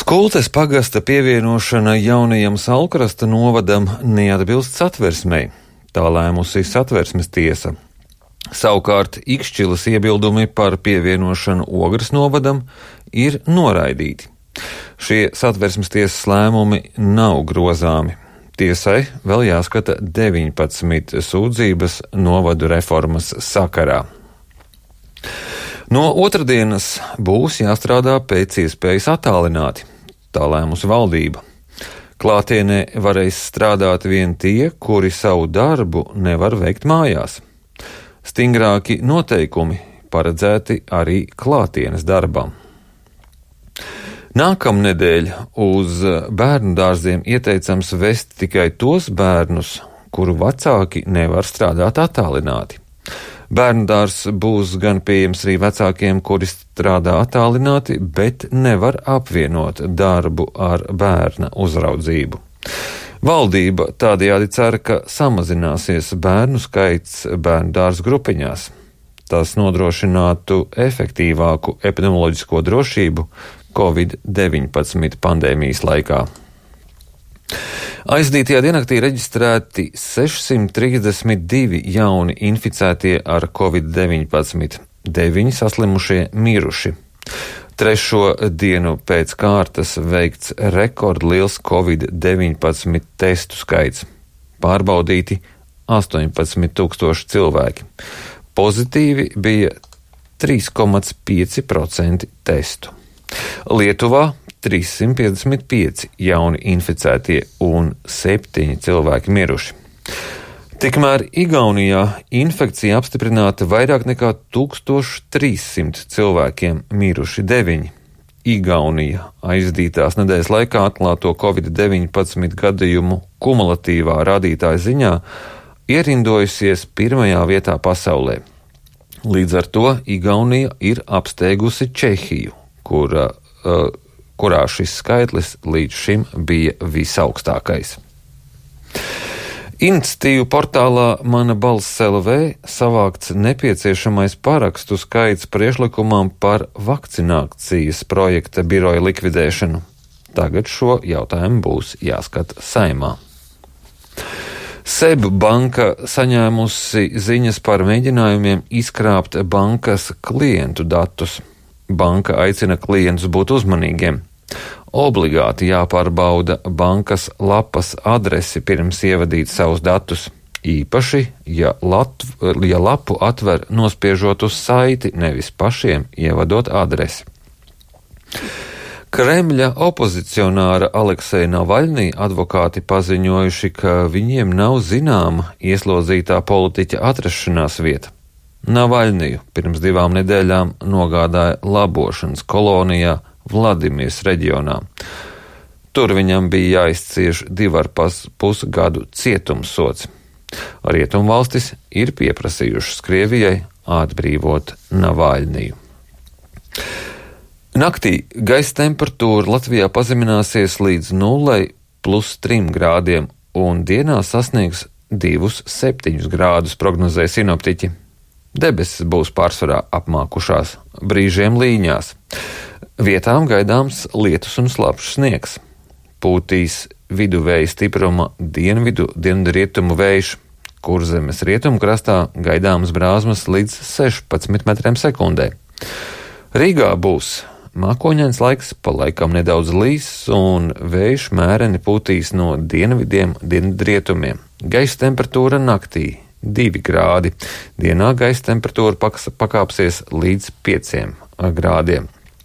Skultes pagasta pievienošana jaunajam Salkrasta novadam neatbilst Satversmei. Tā lēmusi Satversmes tiesa. Savukārt Ikšķilas iebildumi par pievienošanu Ogres novadam ir noraidīti. Šie Satversmes tiesas lēmumi nav grozāmi. Tiesai vēl jāskata 19 sūdzības novadu reformas sakarā. No otrdienas būs jāstrādā pēc iespējas attālināti. Tā lēmusi valdība. Klātienē varēs strādāt vien tie, kuri savu darbu nevar veikt mājās. Stingrāki noteikumi paredzēti arī klātienes darbam. Nākamnedēļ uz bērnu dārziem ieteicams vest tikai tos bērnus, kuru vecāki nevar strādāt attālināti. Bērndārs būs gan pieejams arī vecākiem, kuri strādā attālināti, bet nevar apvienot darbu ar bērna uzraudzību. Valdība tādējādi cer, ka samazināsies bērnu skaits bērndārzu grupiņās. Tas nodrošinātu efektīvāku epidemioloģisko drošību Covid-19 pandēmijas laikā. Aizdītajā diennaktī reģistrēti 632 jauni inficētie ar Covid-19, 9 saslimušie miruši. Trešo dienu pēc kārtas veikts rekordliels Covid-19 testu skaits. Pārbaudīti 18,000 cilvēki. Pozitīvi bija 3,5% testu. Lietuvā 355 jauni inficētie un 7 cilvēki miruši. Tikmēr Igaunijā infekcija apstiprināta vairāk nekā 1300 cilvēkiem, miruši 9. Igaunija aizdītās nedēļas laikā atklāto Covid-19 gadījumu kumulatīvā rādītāja ziņā ierindojusies pirmajā vietā pasaulē. Līdz ar to Igaunija ir apsteigusi Čehiju, kurā šis skaitlis līdz šim bija visaugstākais. Iniciatīvu portālā Mana balss LV savākts nepieciešamais parakstu skaits priekšlikumam par vakcinācijas projekta biroja likvidēšanu. Tagad šo jautājumu būs jāskata Saeimā. SEB banka saņēmusi ziņas par mēģinājumiem izkrāpt bankas klientu datus. Banka aicina klientus būt uzmanīgiem. Obligāti jāpārbauda bankas lapas adresi pirms ievadīt savus datus. Īpaši, ja lapu atver nospiežot uz saiti, nevis pašiem ievadot adresi. Kremļa opozicionāra Alekseja Navaļnī advokāti paziņojuši, ka viņiem nav zināma ieslodzītā politiķa atrašanās vieta. Navaļniju pirms 2 nedēļām nogādāja labošanas kolonijā Vladimirs reģionā. Tur viņam bija jāizcieš 2,5 gadu cietumsods. Rietumvalstis ir pieprasījušas Krievijai atbrīvot Navaļniju. Naktī gaisa temperatūra Latvijā pazemināsies līdz 0,3 grādiem un dienā sasniegs 2,7 grādus, prognozē sinoptiķi. Debesis būs pārsvarā apmākušās, brīžiem līņās. Vietām gaidāms lietus un slapjš sniegs. Pūtīs viduvēja stipruma dienvidrietumu vējš, Kurzemes rietumkrastā gaidāmas brāzmas līdz 16 metriem sekundē. Rīgā būs mākoņains laiks, pa laikam nedaudz līs, un vējš mēreni pūtīs no dienvidiem dienvidrietumiem. Gaisa temperatūra naktī 2 grādi, dienā gaisa temperatūra pakāpsies līdz 5 grādiem.